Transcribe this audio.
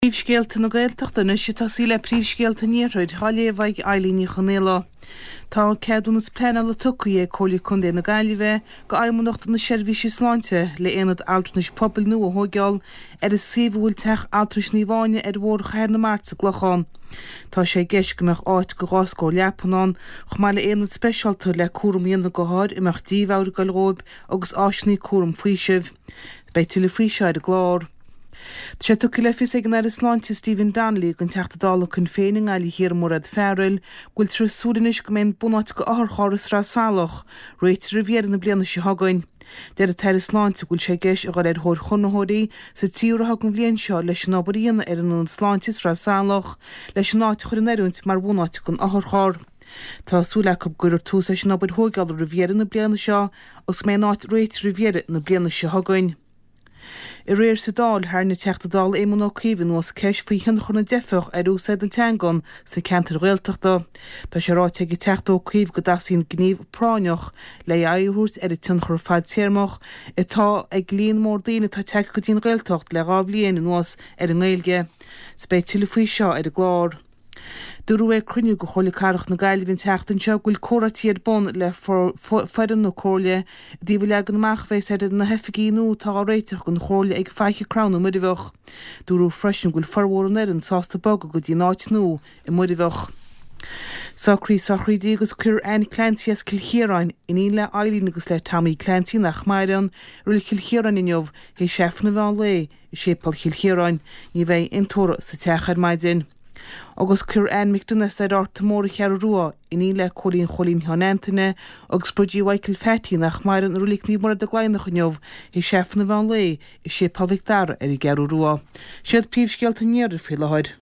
Príomhscéalta na Gaeltachta anois ag tosaí le príomhscéalta an Iarthair, á léamh ag Eilín Ní Chonaola. Tá ceadúnas pleanála tugtha ag Comhairle Contae na Gaillimhe go Fheidhmeannacht na Seirbhíse Sláinte le aonad altranais pobail nua a thóigeáil ar an suíomh a bhfuil Teach Altranais Naomh Áine ar Bhóthar Chathair na Mart sa gClochán. Tá sé i gceist go mbeadh áit go 2 scór leapan ann, chomh maith le aonad speisialta le cúram a dhéanamh go hothair a mbeadh dímheabhair ag goil dhóibh agus áiseanna cúram faoisimh. Beidh tuilleadh faoi seo ar an gclár. Tá sé tugtha le fios ag an Aire Sláinte Stephen Donnelly don Teachta Dála Shinn Féin i nGaillimh Thiar Mairéad Farrell go bhfuiltear ag súil anois go mbeidh an bunáit go otharcharr i Sraith Salach réitithe roimh dheireadh na bliana seo chugainn. Deir an tAire Sláinte go bhfuil sé i gceist a dhul ar thóir chonraitheoirí sa tríú ráithe den bhliain seo leis an obair a dhéanamh ar an Ionad Sláinte i Sraith Salach leis an áit a chur in oiriúint mar bhunáit don otharcharr. Tá súil acu go gcuirfear tús leis an obair thóigeála roimh dheireadh na bliana seo agus go mbeidh an áit réitithe roimh dheireadh na bliana seo chugainn. Aréir sa Dáil, tharraing an Teachta Dála Éamon Ó Cuív anuas ceist faoi thionchar na dteifeach ar úsáid na teangan sna ceantair Ghaeltachta. Tá sé ráite ag an Teachta Ó Cuív go dteastaíonn gníomh práinneach le aghaidh a thabhairt ar an tionchar fadtéarmach atá ag líon mór daoine atá tagtha go dtí an Ghaeltacht le 2 bhliain anuas ar an nGaeilge. 'S beidh tuilleadh faoi seo ar an gclár. Dúradh ag cruinniú de Chomhairle Cathrach na Gaillimhe an tseachtain seo go bhfuil comhráití ar bun le foireann na Comhairle i dtaobh an leagan amach a bheas ar na hoifigí nua atá á réiteach don Chomhairle ag Faiche Crann i Muirbheach. Dúradh freisin go bhfuil formhór an fhoireann sásta bogadh go dtí an áit nua i Muirbheach. Socraíodh sochraidí agus cuirfear Anne Clancy as Cill Chiaráin, iníon le Eileen agus le Tommy Clancy nach maireann, i Reilig Chill Chiaráin inniu, théis Aifreann an mheán lae. I Séipéal Chill Chiaráin, ní bheidh aon tórramh sa teach ar maidin. Agus cuirfear Anne McDonagh as Ard an Mór an Cheathrú Rua, iníon le Cóilín Chóilín Sheáin Antaine agus Bridgie Mhichael Phatty nach maireann i Reilig Naomh Muire Dé Laighneach inniu, théis Aifreann an mheán lae i Séipéal Mhic Dara ar an gCeathrú Rua. Siad príomhscéalta an iarthair faoi láthair.